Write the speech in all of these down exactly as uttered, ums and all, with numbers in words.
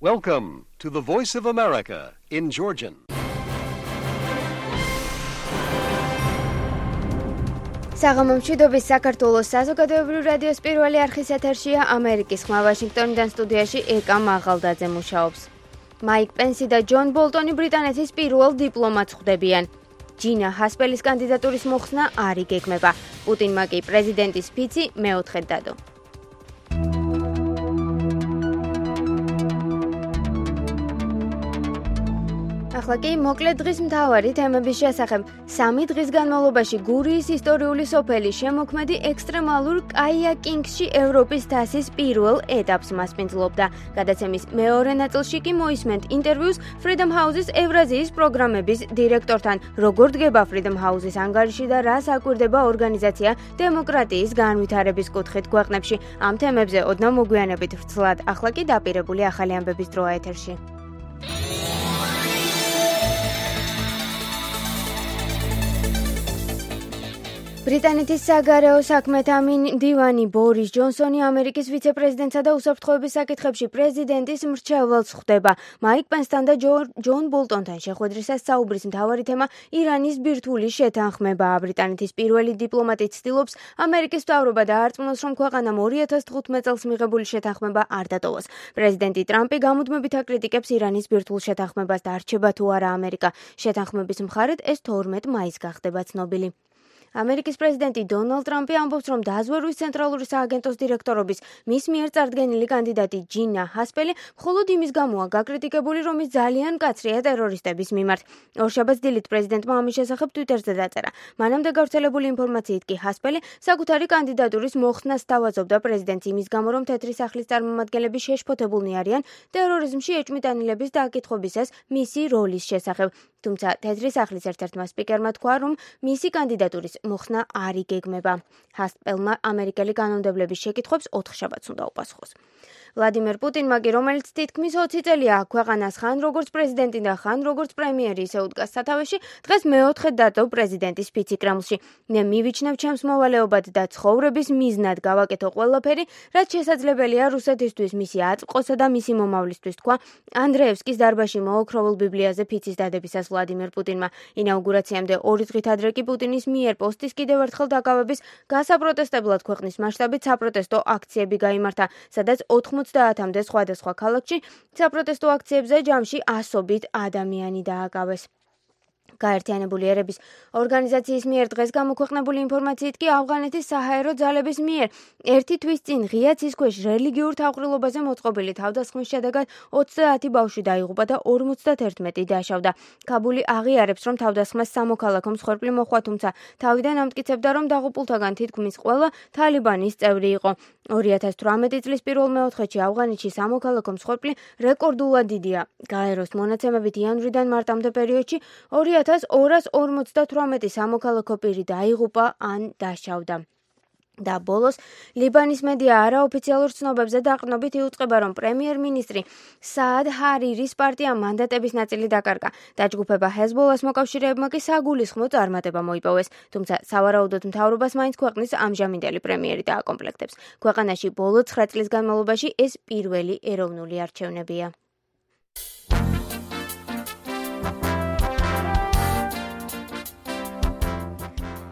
Welcome to the Voice of America in Georgian. საღამომშვიდობის საქართველოს საზოგადოებრივი რადიოს პირველი არხის ეთერშია ამერიკის ხმა ვაშინგტონიდან სტუდიაში ეკა მაღალდაძე მუშაობს. მაიკ პენსი და ჯონ ბოლტონი ბრიტანეთის პირველ დიპლომატს ხვდებიან. ჯინა ჰასპელის კანდიდატურის მოხსნა არ იგეგმება. პუტინმა კი პრეზიდენტის ფიცი მეოთხედ დადო. ახლა კი მოკლედ დღის მთავარი თემების შესახებ. სამი დღის განმავლობაში გურიის ისტორიული სოფელი შემოქმედი ექსტრემალურ კაიაკინგში ევროპის თასის პირველ ეტაპს მასპინძლობდა. გადაცემის მეორე ნაწილში კი მოისმენთ ინტერვიუს Freedom House-ის ევრაზიის პროგრამების დირექტორთან. როგორ დგება Freedom House-ის ანგარიში და რას აკვირდება ორგანიზაცია დემოკრატიის განვითარების კუთხით ქვეყნებში. ამ თემებზე ოდნავ მოგვიანებით ვრცლად. ახლა კი დაპირებული ახალი ამბების დროა ეთერში. ბრიტანეთის საგარეო საქმეთა მდივანი ბორის ჯონსონი ამერიკის ვიცე-პრეზიდენტსა და უსაფრთხოების საკითხებში პრეზიდენტის მრჩეველს ხვდება. მაიკ პენსთან და ჯონ ბოლტონთან შეხვედრისას საუბრის მთავარი თემა ირანის ბირთვული შეთანხმებაა. ბრიტანეთის პირველი დიპლომატი ცდილობს ამერიკის მთავრობა დაარწმუნოს, რომ ქვეყანამ ორი ათას თხუთმეტ წელს მიღებული შეთანხმება არ დატოვოს. პრეზიდენტი ტრამპი გამუდმებით აკრიტიკებს ირანის ბირთვულ შეთანხმებას და არჩება თუ არა ამერიკა შეთანხმების მხარედ, ეს თორმეტ მაისს გახდება ცნობილი. ამერიკის პრეზიდენტი დონალდ ტრამპი ამბობს, რომ დაზვერვის ცენტრალური სააგენტოს დირექტორობის მის მიერ წარდგენილი კანდიდატი ჯინა ჰასპელი მხოლოდ იმის გამოა გაკრიტიკებული, რომ ის ძალიან მკაცრია ტერორისტების მიმართ. ორშაბათს დილით პრეზიდენტმა ამის შესახებ ტვიტერზე დაწერა. მანამდე გავრცელებული ინფორმაციით კი ჰასპელი საკუთარი კანდიდატურის მოხსნას სთავაზობდა პრეზიდენტს იმის გამო, რომ თეთრი სახლის წარმომადგენლები შეშფოთებულნი არიან ტერორიზმში ეჭვმიტანილების დაკითხვისას მისი როლის შესახებ. თუმცა თეთრი სახლის ერთ-ერთმა სპიკერმა თქვა, რომ მისი კანდიდატურის მოხსნა არ იგეგმება. ჰასპელმა ამერიკელი კანონმდებლების შეკითხვებს ოთხშაბათს უნდა უპასუხოს. ვლადიმერ პუტინმა კი, რომელიც თითქმის ოცი წელია ქვეყანას ხან როგორც პრეზიდენტი და ხან როგორც პრემიერი ისე უდგას სათავეში, დღეს მეოთხედ დადო პრეზიდენტის ფიცი კრემლში. მე მივიჩნევ ჩემს მოვალეობად და ცხოვრების მიზნად გავაკეთო ყველაფერი, რაც შესაძლებელია რუსეთისთვის, მისი აწმყოსა და მისი მომავლისთვის, თქვა ანდრეევსკის დარბაზში მოოქროვილ ბიბლიაზე ფიცის დადებისას ვლადიმერ პუტინმა. ინაუგურაციამდე ორი დღით ადრე კი პუტინის მიერ პოსტის კიდევ ერთხელ დაკავების გასაპროტესტებლად ქვეყნის მასშტაბით საპროტესტო აქციები გაიმართა, სადაც ოცდაათამდე სხვადასხვა ქალაქში საპროტესტო აქციებზე ჯამში ასობით ადამიანი დააკავეს. გაერთიანებული ერების ორგანიზაციის მიერ დღეს გამოქვეყნებული ინფორმაციით კი ავღანეთის საჰაერო ძალების მიერ ერთი თვის წინ ღია ცის ქვეშ რელიგიურ თავყრილობაზე მოწყობილი თავდასხმის შედეგად ოცდაათი ბავშვი დაიღუპა და ორმოცდაერთმეტი დაშავდა. ქაბული აღიარებს, რომ თავდასხმას სამოქალაქო მსხვერპლი მოჰყვა, თუმცა თავიდან ამტკიცებდა, რომ დაღუპულთაგან თითქმის ყველა თალიბანის წევრი იყო. ორი ათას თვრამეტი წლის პირველ მეოთხედში ავღანეთში სამოქალაქო მსხვერპლი რეკორდულად დიდია. გაეროს მონაცემებით იანვრიდან მარტამდე პერიოდში ორი ათას ორას ორმოცდათვრამეტი სამოქალაქო პირი დაიღუპა ან დაშავდა. და ბოლოს ლიბანის მედია არაოფიციალურ ცნობებზე დაყრდნობით იუწყება, რომ პრემიერ-მინისტრი საად ჰარირის პარტიამ მანდატების ნაწილი დაკარგა. დაჯგუფება ჰეზბოლას მოკავშირეებმა კი საგულისხმო წარმატება მოიპოვეს, თუმცა სავარაუდოდ მთავრობას მაინც ქვეყნის ამჟამინდელი პრემიერი დააკომპლექტებს. ქვეყანაში ბოლო ცხრა წლის განმავლობაში ეს პირველი ეროვნული არჩევნებია.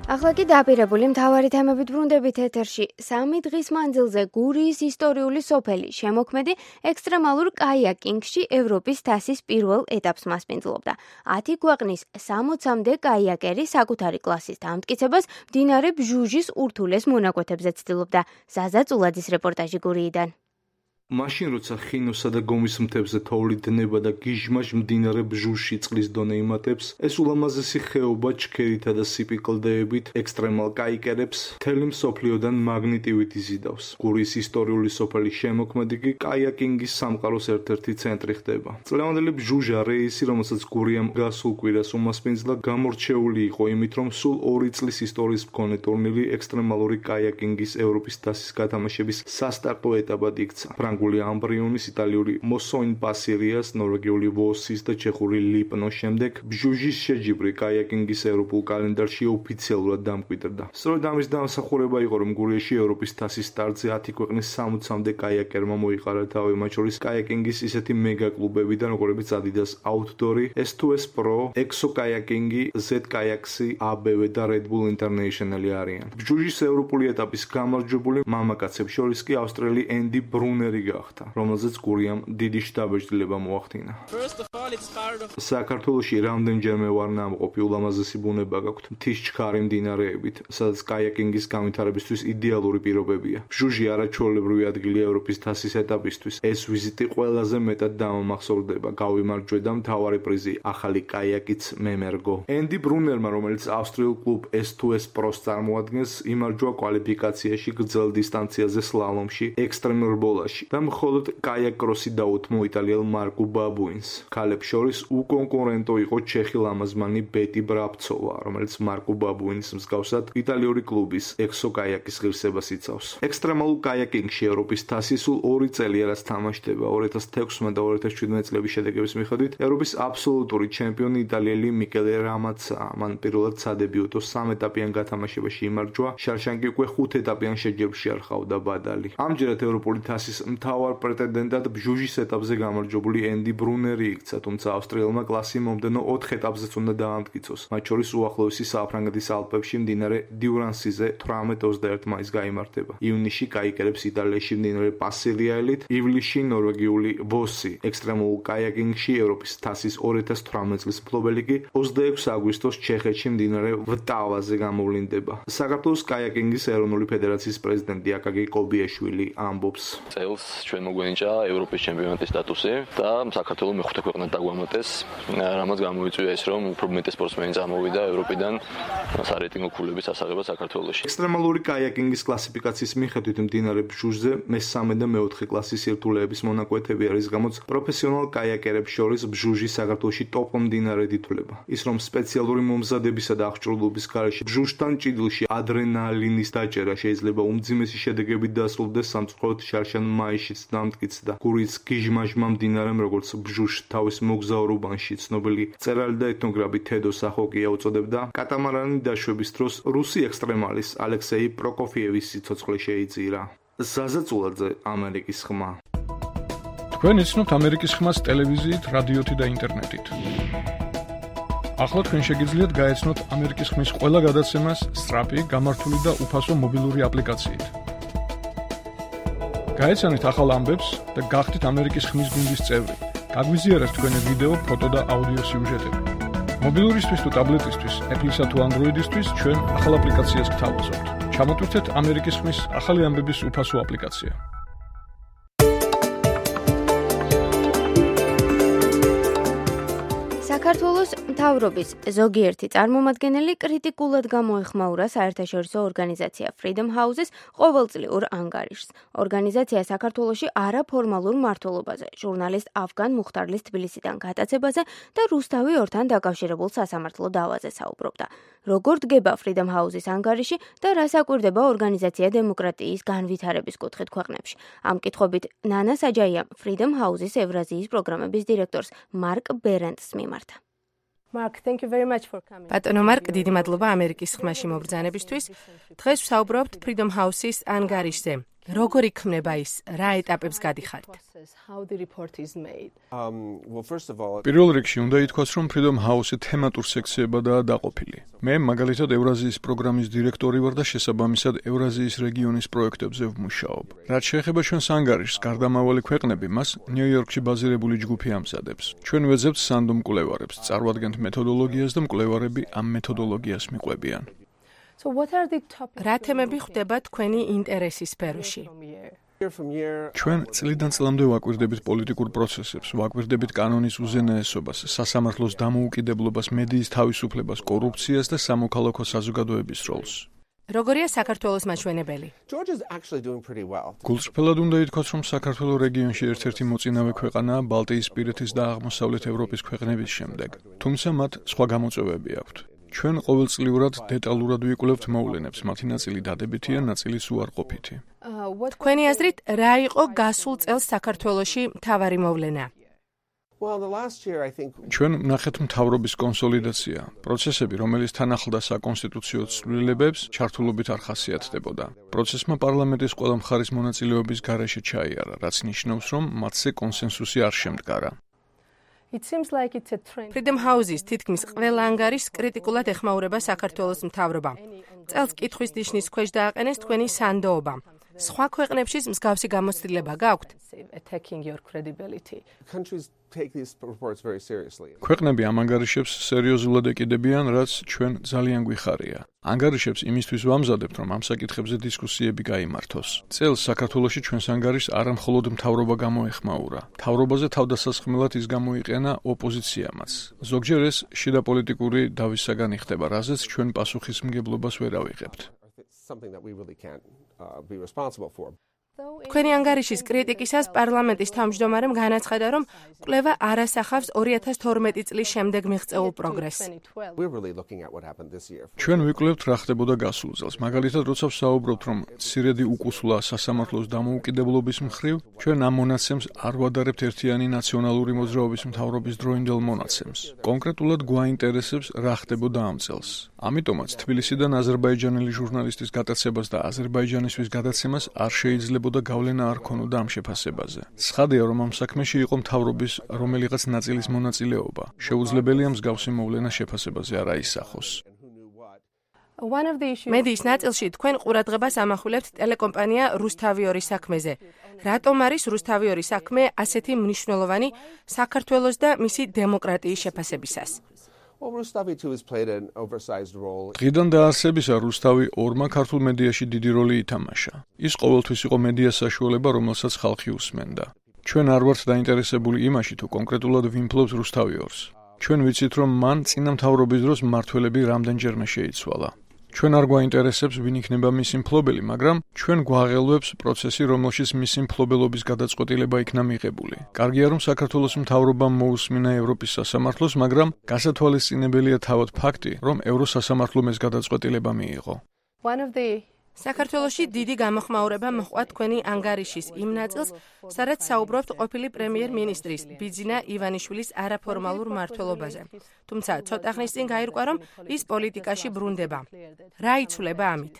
ახლა კი დაპირებული მთავარი თემებით ბრუნდებით ეთერში. სამი დღის მანძილზე გურიის ისტორიული სოფელი შემოქმედი ექსტრემალურ კაიაკინგში ევროპის თასის პირველ ეტაპს მასპინძლობდა. ათი ქვეყნის სამოცამდე კაიაკერი საკუთარი კლასის დამტკიცებას მდინარე ბჟუჟის ურთულეს მონაკვეთებზე ცდილობდა. ზაზა წულაძის რეპორტაჟი გურიიდან. მაშინ როცა ხინოსა და გომის მთებზე თოვლი დნება და გიჟმაჟ მდინარე ბჟუჟში წყლის დონე იმატებს, ეს ულამაზესი ხეობა ჩქერითა და სიპიკლდეებით ექსტრემალ კაიკერებს მთელი მსოფლიოდან მაგნიტივით იზიდავს. გურიის ისტორიული სოფელი შემოქმედი კი კაიაკინგის სამყაროს ერთ-ერთი ცენტრი ხდება. წლევანდელი ბჟუჟა რეისი, რომელსაც გურიამ გასულ კვირას უმასპინძლა, გამორჩეული იყო იმით, რომ სულ ორი წლის ისტორიის მქონე ტურნირი ექსტრემალური კაიაკინგის ევროპის თასის გათამაშების სასტარტო ეტაპად იქცა. ფრანგული ამბრიონის, იტალიური მოსოინ პასირიას, ნორვეგიული ვოსის და ჩეხური ლიპნოს შემდეგ ბჟუჟის შეჯიბრი კაიაკინგის ევროპულ კალენდარში ოფიციალურად დამკვიდრდა. სწორედ ამის დამსახურება იყო, რომ გურიაში ევროპის თასის სტარტზე ათი ქვეყნის სამოცამდე კაიაკერმა მოიყარა თავი, მათ შორის კაიაკინგის ისეთი მეგა კლუბებიდან, როგორებიც Adidas Outdoor, S two S Pro, Exo Kayaking, Z Kayaksi, A B W და Red Bull International არიან. ბჟუჟის ევროპული ეტაპის გამარჯვებული მამაკაცებს შორის კი ავსტრიელი ენდი ბრუნერი გახდა, რომელზეც გურიამ დიდი შთაბეჭდილება მოახდინა. საქართველოში რამდენჯერმე ვარ ნამყოფი, ულამაზესი ბუნება გაქვთ, მთის ჩქარი მდინარეებით, სადაც კაიაკინგის განვითარებისთვის იდეალური პირობებია. ბჟუჟი არაჩვეულებრივი ადგილია ევროპის თასის ეტაპისთვის. ეს ვიზიტი ყველაზე მეტად დამამახსოვრდება. გავიმარჯვე და მთავარი პრიზი ახალი კაიაკიც მემერგო. ენდი ბრუნერმა, რომელიც ავსტრიულ კლუბ S two S Pro-ს წარმოადგენს, იმარჯვა კვალიფიკაციაში გრძელ დისტანციაზე სლალომში, ექსტრემურ ბოლაში და მხოლოდ კაიაკ-კროსი დაუთმო იტალიელ მარკუ ბაბუინს. ქალებს შორის უკონკურენტო იყო ჩეხი ლამაზმანი ბეტი ბრაბცოვა, რომელიც მარკუ ბაბუინის მსგავსად იტალიური კლუბის ექსო კაიაკის ღირსებას იცავს. ექსტრემალურ კაიაკინგში ევროპის თასი სულ ორი წელია რაც თამაშდება. ორი ათას თექვსმეტ და ორი ათას შვიდმეტ წლების შედეგების მიხედვით ევროპის აბსოლუტური ჩემპიონი იტალიელი მიკელე რამაცაა. მან პირველად სადებიუტო სამ ეტაპიან გათამაშებაში იმარჯვა, შარშანკი უკვე ხუთ ეტაპიან შეჯიბრში არ ჰყავდა ბადალი. ამჯერად ევროპული თასის მთავარ პრეტენდენტად ბჟუჟის ეტაპზე გამარჯვებული ენდი ბრუნერი იქცა, თუმცა ავსტრიელმა კლასი მომდენო ოთხ ეტაპზეც უნდა დაამტკიცოს, მათ შორის უახლოესი საფრანგეთის ალპებში მდინარე დიურანსიზე თვრამეტ ოცდაერთ მაისს გაიმართება. ივნისში კაიკერებს იტალიაში მდინარე პასილიაელით, ივლისში ნორვეგიული ვოსი. ექსტრემულ კაიაკინგში ევროპის თასის ორი ათას თვრამეტ წლის მფლობელი კი ოცდაექვსი აგვისტოს ჩეხეთში მდინარე ვტავაზე გამოვლინდება. საქართველოს კაიაკინგის ეროვნული ფედერაციის პრეზიდენტი აკაკი კობიაშვილი ამბობს. წელს ჩვენ მოგვენიჭა ევროპის ჩემპიონატის სტატუსი და საქართველოს მეხუთე ქვეყნად დაგვამატეს, რამაც გამოიწვია ის, რომ უფრო მეტი სპორტსმენი წამოვიდა ევროპიდან სარეიტინგო ქულების ასაღებად საქართველოში. ექსტრემალური კაიაკინგის კლასიფიკაციის მიხედვით მდინარე ბჟუჟზე მესამე და მეოთხე კლასის სირთულეების მონაკვეთები არის, გამოც პროფესიონალ კაიაკერებს შორის ბჟუჟი საქართველოში ტოპ მდინარედ ითვლება. ის რომ სპეციალური მომზადებისა და აღჭურვილობის გარეშე ბჟუჟთან ჭიდილში ადრენალინის დაჭერა შეიძლება უმძიმესი შედეგებით დასრულდეს, სამწუხაროდ შარშან მაისშიც დამტკიცდა. გურიის გიჟმაჟმა მდინარემ, როგორც ბჟუჟს თავის მოგზაურობანში ცნობილი მწერალი და ეთნოგრაფი თედო სახოკია უწოდებდა, კატამარანი დაშვების დროს რუსი ექსტრემალის ალექსეი პროკოფიევის სიცოცხლე შეიწირა. ზაზაწულაძე, ამერიკის ხმა. თქვენ იცნობთ ამერიკის ხმას ტელევიზიით, რადიოთი და ინტერნეტით. ახლა თქვენ შეგიძლიათ გაეცნოთ ამერიკის ხმის ყველა გადაცემას სწრაფი, გამართული და უფასო მობილური აპლიკაციით. გაეცანით ახალ ამბებს და გახდით ამერიკის ხმის გუნდის წევრი. გაგვიზიარეთ თქვენი ვიდეო, ფოტო და აუდიო სიუჟეტები. მობილურისთვის თუ ტაბლეტისთვის, Apple-ისა თუ Android-ისთვის ჩვენ ახალ აპლიკაციას გთავაზობთ. ჩამოტვირთეთ ამერიკის ხმის ახალი ამბების უფასო აპლიკაცია. საქართველოს მთავრობის ზოგიერთი წარმომადგენელი კრიტიკულად გამოეხმაურა საერთაშორისო ორგანიზაცია Freedom House-ის ყოველწლიურ ანგარიშს. ორგანიზაცია საქართველოში არაფორმალურ მმართველობაზე, ჟურნალისტ ავგან მუხტარლის თბილისიდან გატაცებაზე და რუსთავი ორთან დაკავშირებულ სასამართლო დავაზე საუბრობდა. როგორ დგება Freedom House-ის ანგარიში და რას აკვირდება ორგანიზაცია დემოკრატიის განვითარების კუთხით ქვეყნებში. ამ კითხვებით ნანა საჯაიამ Freedom House-ის ევრაზიის პროგრამების დირექტორს მარკ ბერენტს მიმართა. ბატონო მარკ, დიდი მადლობა ამერიკის ხმაში მობრძანებისთვის. დღეს ვსაუბრობთ Freedom House-ის ანგარიშზე. როგორ იქმნება ის, რა ეტაპებს გადიხართ? პირველ რიგში უნდა ითქვას, რომ Freedom House-ი თემატურ სექციებადაა დაყოფილი. მე მაგალითად ევრაზიის პროგრამის დირექტორი ვარ და შესაბამისად ევრაზიის რეგიონის პროექტებზე ვმუშაობ. რაც შეეხება ჩვენს ანგარიშს, გარდამავალი ქვეყნები მას ნიუ-იორკში ბაზირებული ჯგუფი ამზადებს. ჩვენ ვეძებთ სანდომ მკვლევარებს, წარვადგენთ მეთოდოლოგიას და მკვლევარები ამ მეთოდოლოგიას მიყვებიან. რა თემები ხვდება თქვენი ინტერესის სფეროში? ჩვენ წლიდან წლამდე ვაკვირდებით პოლიტიკურ პროცესებს, ვაკვირდებით კანონის უზენაესობას, სასამართლოს დამოუკიდებლობას, მედიის თავისუფლებას, კორუფციას და სამოქალაქო საზოგადოების როლს. როგორია საქართველოს მაჩვენებელი? გულწრფელად უნდა ითქვას, რომ საქართველოს რეგიონში ერთ-ერთი მოწინავე ქვეყანაა ბალტიისპირეთის და აღმოსავლეთ ევროპის ქვეყნების შემდეგ, თუმცა მათ სხვა გამოწვევები აქვთ. ჩვენ ყოველწლიურად დეტალურად ვიკვლევთ მოვლენებს, მათი ნაწილი დადებითია, ნაწილი უარყოფითი. თქვენი აზრით, რა იყო გასულ წელს საქართველოში მთავარი მოვლენა? ჩვენ ვნახეთ მთავრობის კონსოლიდაცია, პროცესები, რომელიც თან ახლდა საკონსტიტუციო ცვლილებებს, ჩართულობით არ ხასიათდებოდა. პროცესმა პარლამენტის ყველა მხარის მონაწილეობის გარეშე ჩაიარა, რაც ნიშნავს, რომ მათზე კონსენსუსი არ შემდგარა. Freedom House-ის თითქმის ყველა ანგარიშს კრიტიკულად ეხმაურება საქართველოს მთავრობა. წელს კითხვის ნიშნის ქვეშ დააყენეს თქვენი სანდოობა. სხვა ქვეყნებშიც მსგავსი გამოცდილება გაქვთ? ქვეყნები ამ ანგარიშებს სერიოზულად ეკიდებიან, რაც ჩვენ ძალიან გვიხარია. ანგარიშებს იმისთვის ვამზადებთ, რომ ამ საკითხებზე დისკუსიები გაიმართოს. წელს საქართველოში ჩვენს ანგარიშს არა მხოლოდ მთავრობა გამოეხმაურა. მთავრობაზე თავდასასხმელად ის გამოიყენა ოპოზიციამაც. ზოგჯერ ეს შიდა პოლიტიკური დავის საგანი ხდება, რაზეც ჩვენ პასუხისმგებლობას ვერ ავიღებთ. თქვენი ანგარიშის კრიტიკისას პარლამენტის თავმჯდომარემ განაცხადა, რომ კვლევა არ ასახავს ორი ათას თორმეტი წლის შემდეგ მიღწეულ პროგრესს. ჩვენ ვიკვლევთ რა ხდებოდა გასულ წელს. მაგალითად, როცა ვსაუბრობთ, რომ მცირედი უკუსვლა სასამართლოს დამოუკიდებლობის მხრივ, ჩვენ ამ მონაცემს არ ვადარებთ ერთიანი ნაციონალური მოძრაობის მთავრობის დროინდელ მონაცემს. კონკრეტულად გვაინტერესებს რა ხდებოდა ამ წელს. ამიტომაც თბილისიდან აზერბაიჯანელი ჟურნალისტის გატაცებას და აზერბაიჯანისთვის გადაცემას არ შეიძლება და გავლენა არ ქონოდა ამ შეფასებაზე. ცხადია, რომ ამ საქმეში იყო მთავრობის რომელიღაც ნაწილის მონაწილეობა. შეუძლებელია მსგავსი მოვლენა შეფასებაზე არ აისახოს. მედიის ნაწილში თქვენ ყურადღებას ამახვილებთ ტელეკომპანია რუსთავიორის საქმეზე. რატომ არის რუსთავიორის საქმე ასეთი მნიშვნელოვანი საქართველოს და მისი დემოკრატიის შეფასებისას? დღიდან დაარსებისა რუსთავი ორმა ქართულ მედიაში დიდი როლი ითამაშა. ის ყოველთვის იყო მედიას საშუალება, რომელსაც ხალხი უსმენდა. ჩვენ არ ვართ დაინტერესებული იმაში, თუ კონკრეტულად ვიმფლობს რუსთავიორს. ჩვენ ვიცით, რომ მან წინა მთავრობის დროს მმართველები რამდენჯერმე შეიცვალა. ჩვენ არ გვაინტერესებს, ვინ იქნება მისი მფლობელი, მაგრამ ჩვენ გვაღელვებს პროცესი, რომელშიც მისი მფლობელობის გადაწყვეტილება იქნა მიღებული. კარგია, რომ საქართველოს მთავრობამ მოусმინა ევროპის სასამართლოს, მაგრამ გასათვალისწინებელია თავად ფაქტი, რომ ევროსასამართლომ ეს გადაწყვეტილება მიიღო. საქართველოში დიდი გამოხმაურება მოჰყვა თქვენი ანგარიშის იმ ნაწილს, სადაც საუბრობთ ყოფილი პრემიერ-მინისტრის ბიძინა ივანიშვილის არაფორმალურ მმართველობაზე. თუმცა ცოტა ხნის წინ გაირკვა, რომ ის პოლიტიკაში ბრუნდება. რა იცვლება ამით?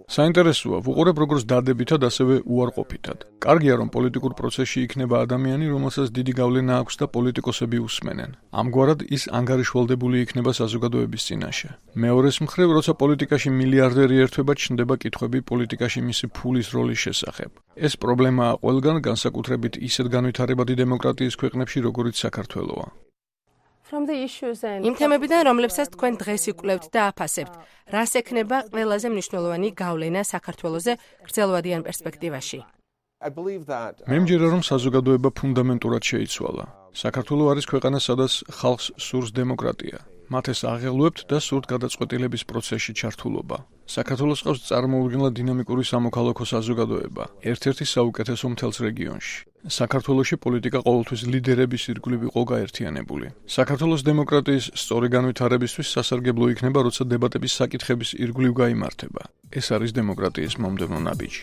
საინტერესოა, ვუყურებ როგორც დადებითად, ასევე უარყოფითად. კარგია, რომ პოლიტიკურ პროცესში იქნება ადამიანი, რომელსაც დიდი გავლენა აქვს და პოლიტიკოსები უსმენენ. ამგვარად ის ანგარიშვალდებული იქნება საზოგადოების წინაშე. მეორეს მხრივ, როცა პოლიტიკაში მილიარდერი ერთვება, ჩნდება კითხვები პოლიტიკაში მისი ფულის როლის შესახებ. ეს პრობლემაა ყველგან, განსაკუთრებით ისეთ განვითარებადი დემოკრატიის ქვეყნებში, როგორიც საქართველოა. იმ თემებიდან, რომლებსაც თქვენ დღეს იკვლევთ და აფასებთ, რას ექნება ყველაზე მნიშვნელოვანი გავლენა საქართველოზე გრძელვადიან პერსპექტივაში? მე მჯერა, რომ საზოგადოება ფუნდამენტურად შეიცვალა. საქართველო არის ქვეყანა, სადაც ხალხს სურს დემოკრატია. მათ ეს აღელვებთ და სურთ გადაწყვეტილების პროცესში ჩართულობა. საქართველოს ყავს წარმოუდგენლად დინამიკური სამოქალაქო საზოგადოება, ერთ-ერთი საუკეთესო მთელს რეგიონში. საქართველოში პოლიტიკა ყოველთვის ლიდერების ირგვლივ იყო გაერთიანებული. საქართველოს დემოკრატიის სწორი განვითარებისთვის სასარგებლო იქნება, როცა დებატების საკითხების ირგვლივ გაიმართება. ეს არის დემოკრატიის მომდევნო ნაბიჯი.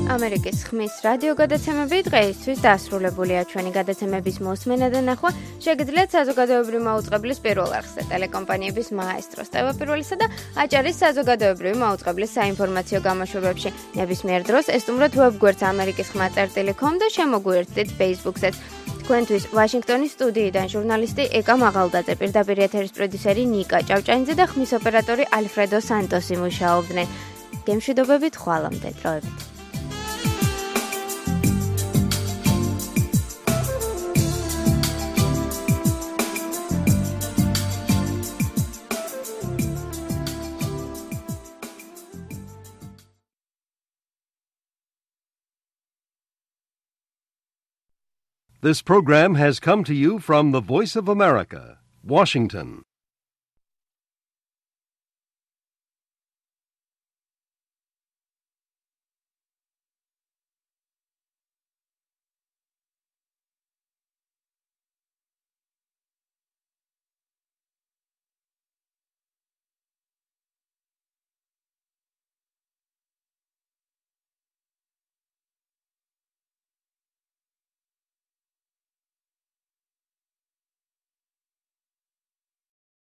ამერიკის ხმის რადიო გადაცემები დღეისთვის დასრულებულია. ჩვენი გადაცემების მოსმენა და ნახვა შეგიძლიათ საზოგადოებრივი მაუწყებლის პირველ არხზე, ტელეკომპანიების მაესტროს ტევაპირველისა და აჭარის საზოგადოებრივი მაუწყებლის საინფორმაციო გამოშვებებში. ნებისმიერ დროს ესტუმროთ ვებგვერდს ამერიკის ხმა წერტილი კომ და შემოგვიერთდით Facebook-ზეც. თქვენთვის ვაშინგტონის სტუდიიდან ჟურნალისტი ეკა მაღალდაძე, პირდაპირ ეთერის პროდიუსერი ნიკა ჭავჭანიძე და ხმის ოპერატორი ალფრედო სანტოსი მუშაობდნენ. გემშვიდობებით, ხვალამდე, დროებით. This program has come to you from the Voice of America, Washington.